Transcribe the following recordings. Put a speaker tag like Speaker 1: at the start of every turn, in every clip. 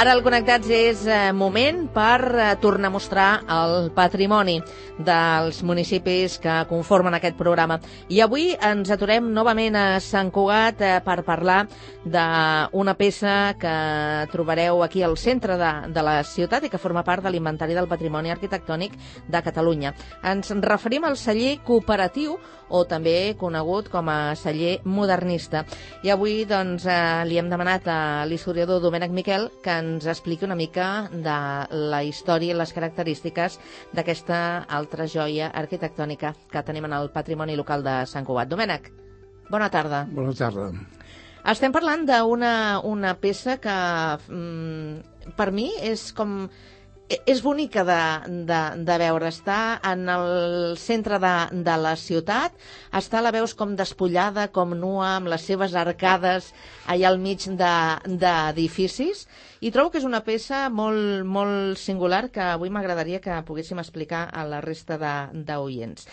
Speaker 1: Ara al Connectats és moment per tornar a mostrar el patrimoni dels municipis que conformen aquest programa. I avui ens aturem novament a Sant Cugat per parlar d'una peça que trobareu aquí al centre de la ciutat i que forma part de l'Inventari del Patrimoni Arquitectònic de Catalunya. Ens referim al celler cooperatiu, o també conegut com a celler modernista. I avui doncs, li hem demanat a l'historiador Domènec Miquel que ens expliqui una mica de la història i les característiques d'aquesta altra joia arquitectònica que tenim en el patrimoni local de Sant Cugat. Domènec, bona tarda.
Speaker 2: Bona tarda.
Speaker 1: Estem parlant d'una peça que per mi és bonica de veure. Està en el centre de la ciutat, la veus com despullada, com nua, amb les seves arcades allà al mig d'edificis, i trobo que és una peça molt, molt singular que avui m'agradaria que poguéssim explicar a la resta d'oients.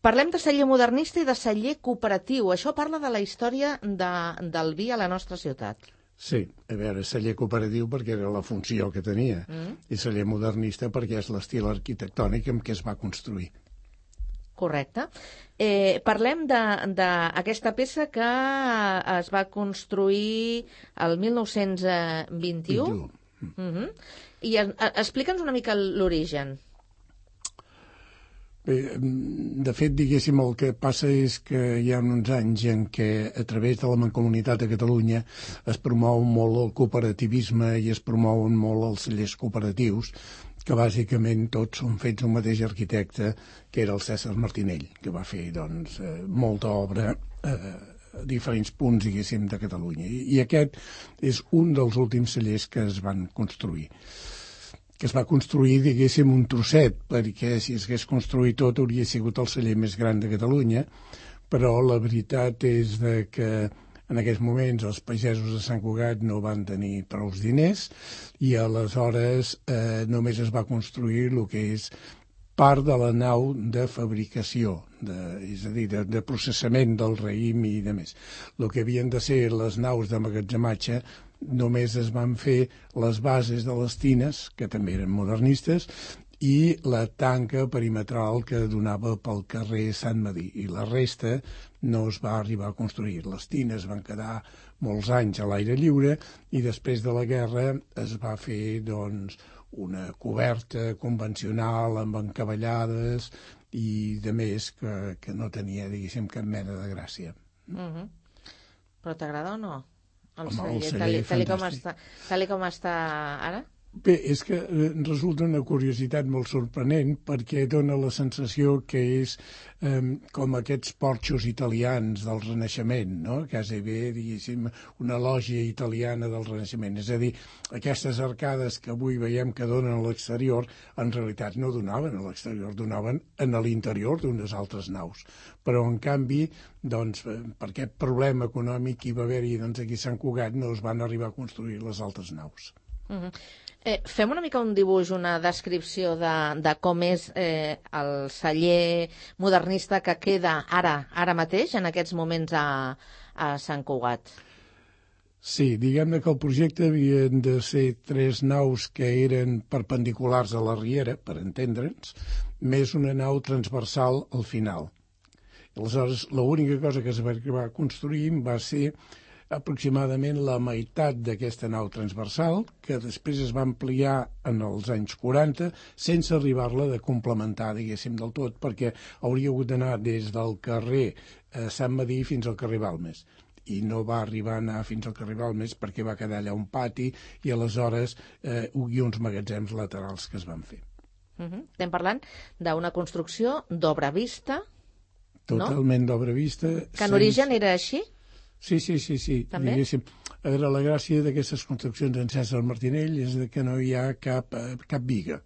Speaker 1: Parlem de celler modernista i de celler cooperatiu. Això parla de la història del vi a la nostra ciutat.
Speaker 2: Sí, a veure, celler cooperatiu perquè era la funció que tenia, i celler modernista perquè és l'estil arquitectònic amb què es va construir.
Speaker 1: Correcte. Parlem d'aquesta peça que es va construir el 1921. I explica'ns una mica l'origen.
Speaker 2: Bé, de fet, diguéssim, el que passa és que hi ha uns anys en què a través de la Mancomunitat de Catalunya es promou molt el cooperativisme i es promouen molt els cellers cooperatius, que bàsicament tots són fets un mateix arquitecte, que era el Cèsar Martinell, que va fer doncs, molta obra a diferents punts, diguéssim, de Catalunya. I aquest és un dels últims cellers que es van construir. Que es va construir, diguéssim, un trosset, perquè si es hagués construït tot hauria sigut el celler més gran de Catalunya, però la veritat és que en aquests moments els pagesos de Sant Cugat no van tenir prou diners i aleshores només es va construir el que és part de la nau de fabricació, és a dir, de processament del raïm i de més. El que havien de ser les naus d'emmagatzematge només es van fer les bases de les tines, que també eren modernistes, i la tanca perimetral que donava pel carrer Sant Medir. I la resta no es va arribar a construir. Les tines van quedar molts anys a l'aire lliure i després de la guerra es va fer doncs, una coberta convencional amb encavallades i de més que no tenia, diguéssim, cap mena de gràcia.
Speaker 1: Però t'agrada o no? El
Speaker 2: celler
Speaker 1: tal com està ara?
Speaker 2: Bé, és que resulta una curiositat molt sorprenent perquè dona la sensació que és com aquests porxos italians del Renaixement, no? Quasi bé, diguéssim, una lògia italiana del Renaixement. És a dir, aquestes arcades que avui veiem que donen a l'exterior, en realitat no donaven a l'exterior, donaven en l'interior d'unes altres naus. Però, en canvi, doncs, per aquest problema econòmic que hi va haver-hi doncs, aquí a Sant Cugat no es van arribar a construir les altres naus.
Speaker 1: Fem una mica un dibuix, una descripció de com és el celler modernista que queda ara mateix, en aquests moments a Sant Cugat.
Speaker 2: Sí, diguem-ne que el projecte havien de ser 3 naus que eren perpendiculars a la riera, per entendre'ns, més una nau transversal al final. Aleshores, l'única cosa que es va arribar a construir va ser aproximadament la meitat d'aquesta nau transversal, que després es va ampliar en els anys 40, sense arribar-la de complementar, diguéssim, del tot, perquè hauria hagut d'anar des del carrer Sant Medir fins al carrer Balmes. I no va arribar a anar fins al carrer Balmes perquè va quedar allà un pati i aleshores hi ha uns magatzems laterals que es van fer.
Speaker 1: Estem parlant d'una construcció d'obra vista,
Speaker 2: Totalment d'obra vista.
Speaker 1: Que en origen era així?
Speaker 2: Sí. Diguéssim, a veure, la gràcia d'aquestes construccions en Cèsar Martinell és que no hi ha cap biga.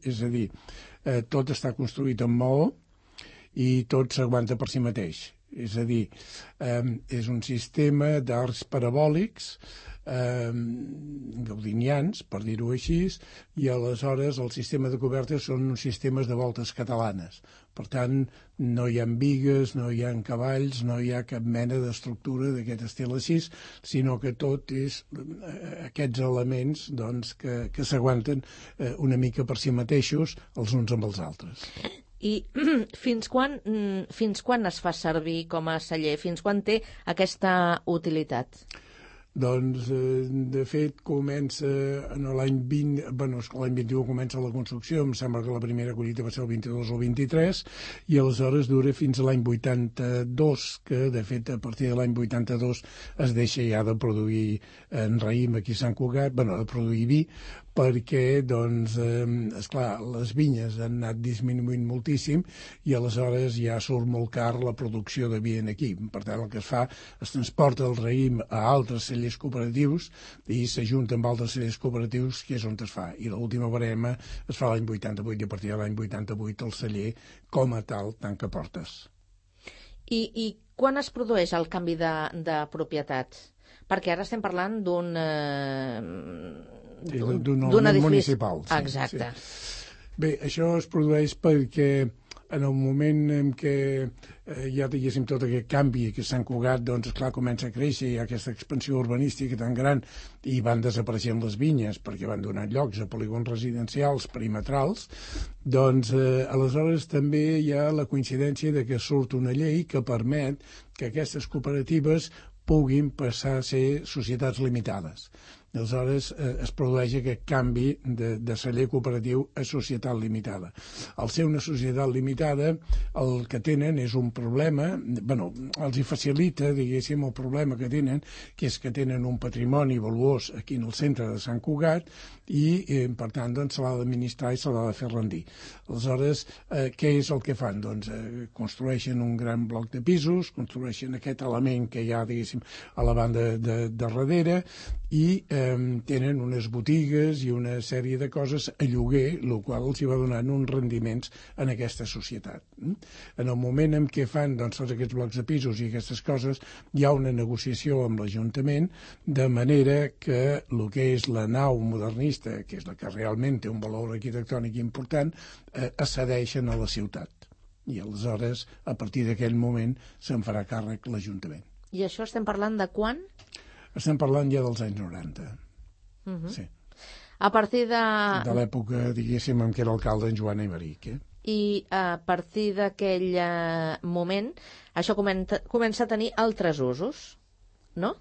Speaker 2: És a dir, tot està construït amb maó i tot s'aguanta per si mateix. És a dir, és un sistema d'arcs parabòlics gaudinians, per dir-ho així, i aleshores el sistema de cobertes són uns sistemes de voltes catalanes. Per tant, no hi ha bigues, no hi ha cavalls, no hi ha cap mena d'estructura d'aquest estil així, sinó que tot és aquests elements doncs, que s'aguanten una mica per si mateixos els uns amb els altres.
Speaker 1: I fins quan es fa servir com a celler? Fins quan té aquesta utilitat?
Speaker 2: Doncs, de fet, comença en l'any 20... l'any 21 comença la construcció, em sembla que la primera collita va ser el 22 o el 23, i aleshores dura fins a l'any 82, que, de fet, a partir de l'any 82 es deixa ja de produir en raïm aquí a Sant Cugat, de produir vi, perquè, doncs, esclar, les vinyes han anat disminuint moltíssim i aleshores ja surt molt car la producció de vi aquí. Per tant, el que es fa, es transporta el raïm a altres cellers cooperatius i s'ajunta amb altres cellers cooperatius, que és on es fa. I l'última barema es fa l'any 88 i a partir de l'any 88 el celler, com a tal, tanca portes.
Speaker 1: I quan es produeix el canvi de propietat? Perquè ara estem parlant d'un
Speaker 2: edifici municipal. Sí,
Speaker 1: exacte.
Speaker 2: Sí. Bé, això es produeix perquè en el moment en què ja diguéssim tot aquest canvi que Sant Cugat, doncs esclar, comença a créixer, hi ha aquesta expansió urbanística tan gran i van desapareixent les vinyes perquè van donar llocs a polígons residencials perimetrals, doncs aleshores també hi ha la coincidència de que surt una llei que permet que aquestes cooperatives puguin passar a ser societats limitades. Aleshores es produeix aquest canvi de celler cooperatiu a societat limitada. Al ser una societat limitada, el que tenen és un problema, els hi facilita, diguéssim, el problema que tenen, que és que tenen un patrimoni valuós aquí en el centre de Sant Cugat i, per tant, doncs, se l'ha d'administrar i se l'ha de fer rendir. Aleshores, què és el que fan? Doncs construeixen un gran bloc de pisos, construeixen aquest element que hi ha, diguéssim, a la banda de darrere i tenen unes botigues i una sèrie de coses a lloguer, el qual els hi va donant uns rendiments en aquesta societat. En el moment en què fan doncs, tots aquests blocs de pisos i aquestes coses, hi ha una negociació amb l'Ajuntament, de manera que el que és la nau modernista, que és la que realment té un valor arquitectònic important, es cedeixen a la ciutat. I aleshores, a partir d'aquell moment, se'n farà càrrec l'Ajuntament.
Speaker 1: I això estem parlant de quan?
Speaker 2: Estem parlant ja dels anys 90. Sí.
Speaker 1: A partir de
Speaker 2: l'època, diguéssim, en què era alcalde en Joan Aymeric.
Speaker 1: I a partir d'aquell moment, això comença a tenir altres usos, no?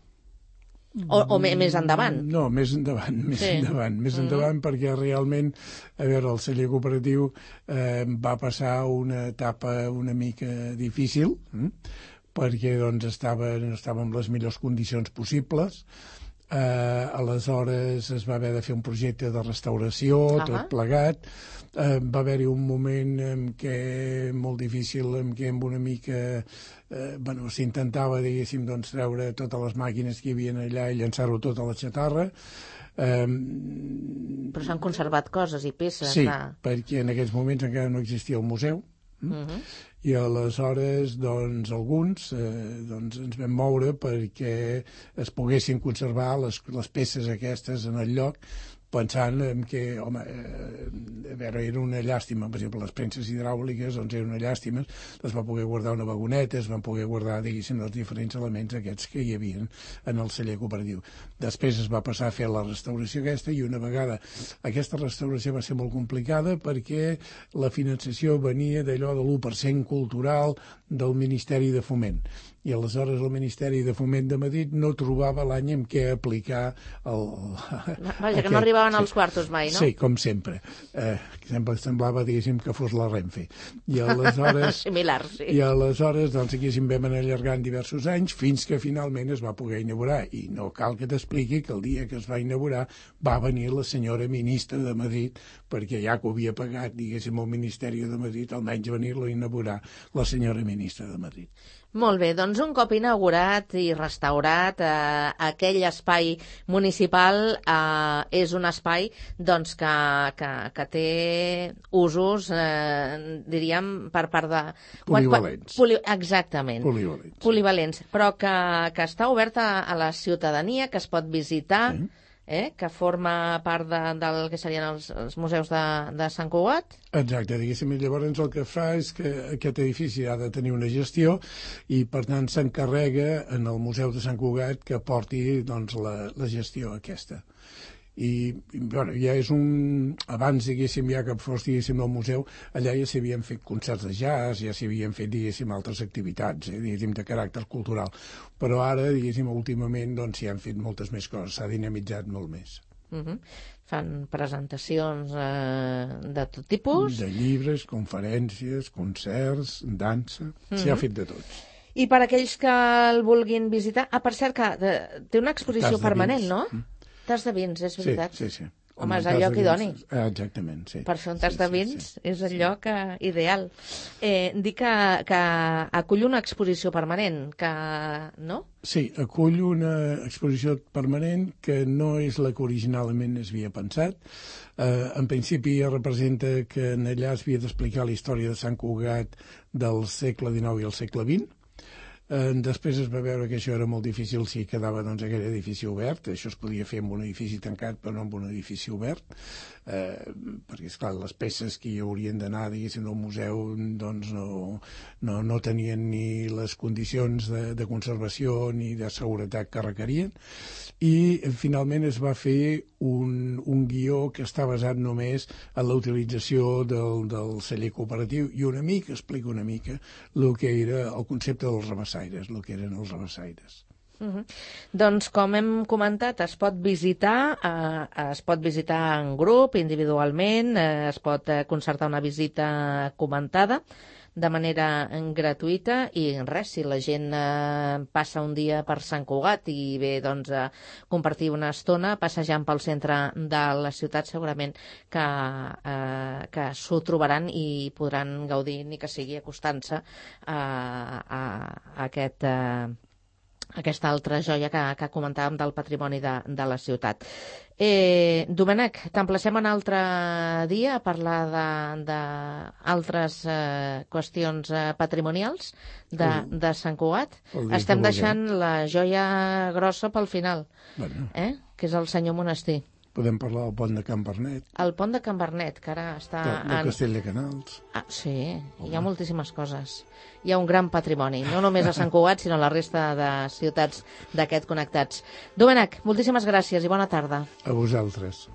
Speaker 1: O més endavant?
Speaker 2: No, més endavant, endavant, perquè realment, a veure, el celler cooperatiu va passar una etapa una mica difícil, perquè doncs, estava en les millors condicions possibles. Aleshores es va haver de fer un projecte de restauració, tot plegat. Va haver-hi un moment en què molt difícil, en què amb una mica s'intentava, diguéssim, doncs, treure totes les màquines que hi havia allà i llançar-ho tot a la xatarra.
Speaker 1: Però s'han conservat coses i peces.
Speaker 2: Sí, perquè en aquests moments encara no existia el museu. I aleshores doncs, alguns ens vam moure perquè es poguessin conservar les peces aquestes en el lloc, pensant que, home, a veure, era una llàstima. Per exemple, les premses hidràuliques, doncs eren una llàstima, les va poder guardar una vagoneta, es van poder guardar, diguéssim, els diferents elements aquests que hi havia en el celler cooperatiu. Després es va passar a fer la restauració aquesta i una vegada aquesta restauració va ser molt complicada perquè la finançació venia d'allò de l'1% cultural del Ministeri de Foment. I aleshores el Ministeri de Foment de Madrid no trobava l'any en què aplicar
Speaker 1: Vaja, que no arribaven als quartos mai, no?
Speaker 2: Sí, com sempre. Sempre semblava, diguéssim, que fos la Renfe. I aleshores...
Speaker 1: Similar, sí.
Speaker 2: I aleshores, doncs, aquí se'n vam anar allargant diversos anys fins que finalment es va poder inaugurar. I no cal que t'expliqui que el dia que es va inaugurar va venir la senyora ministra de Madrid, perquè ja que ho havia pagat, diguéssim, el Ministeri de Madrid, almenys venir-lo a inaugurar la senyora ministra de Madrid.
Speaker 1: Molt bé, doncs un cop inaugurat i restaurat aquell espai municipal és un espai doncs, que té té usos, diríem, per part de...
Speaker 2: Polivalents.
Speaker 1: Exactament.
Speaker 2: Polivalents.
Speaker 1: Polivalents, però que està oberta a la ciutadania, que es pot visitar,
Speaker 2: Sí.
Speaker 1: Que forma part del que serien els museus de Sant Cugat.
Speaker 2: Exacte, diguéssim, i llavors el que fa és que aquest edifici ha de tenir una gestió i, per tant, s'encarrega en el Museu de Sant Cugat que porti doncs, la gestió aquesta. I bueno, ja és abans, diguéssim, ja que fos, diguéssim, al museu, allà ja s'havien fet concerts de jazz, ja s'havien fet, diguéssim, altres activitats, diguéssim, de caràcter cultural. Però ara, diguéssim, últimament, doncs, s'hi han fet moltes més coses, s'ha dinamitzat molt més.
Speaker 1: Fan presentacions de tot tipus.
Speaker 2: De llibres, conferències, concerts, dansa, s'hi ha fet de tot.
Speaker 1: I per aquells que el vulguin visitar... per cert, que té una exposició permanent, no? Tas de vins, és veritat?
Speaker 2: Sí.
Speaker 1: Home, és el lloc idoni.
Speaker 2: Exactament, sí.
Speaker 1: Per fer un tas de vins és el lloc ideal. Dic que acull una exposició permanent, no?
Speaker 2: Sí, acull una exposició permanent que no és la que originalment es havia pensat. En principi representa que allà es havia d'explicar la història de Sant Cugat del segle XIX i el segle XX. Després es va veure que això era molt difícil si quedava doncs, aquell edifici obert. Això es podia fer amb un edifici tancat però no amb un edifici obert, perquè, esclar, les peces que hi haurien d'anar, diguéssim, al museu doncs no tenien ni les condicions de conservació ni de seguretat que requerien, i finalment es va fer un guió que està basat només en la utilització del celler cooperatiu i explica una mica el que era el concepte dels rabassaires, el que eren els rabassaires.
Speaker 1: Doncs, com hem comentat, es pot visitar en grup, individualment, es pot concertar una visita comentada de manera gratuïta i res, si la gent passa un dia per Sant Cugat i ve doncs, a compartir una estona passejant pel centre de la ciutat, segurament que s'ho trobaran i podran gaudir, ni que sigui acostant-se a aquesta altra joia que comentàvem del patrimoni de la ciutat. Domènec, t'emplacem un altre dia a parlar d'altres qüestions patrimonials de Sant Cugat. Estem deixant la joia grossa pel final, que és el senyor Monestir.
Speaker 2: Podem parlar del pont de Can Bernet.
Speaker 1: El pont de Can Bernet, que ara està...
Speaker 2: Del castell de Canals.
Speaker 1: Sí, hi ha moltíssimes coses. Hi ha un gran patrimoni, no només a Sant Cugat, sinó a la resta de ciutats d'aquest Connectats. Domènec, moltíssimes gràcies i bona tarda.
Speaker 2: A vosaltres.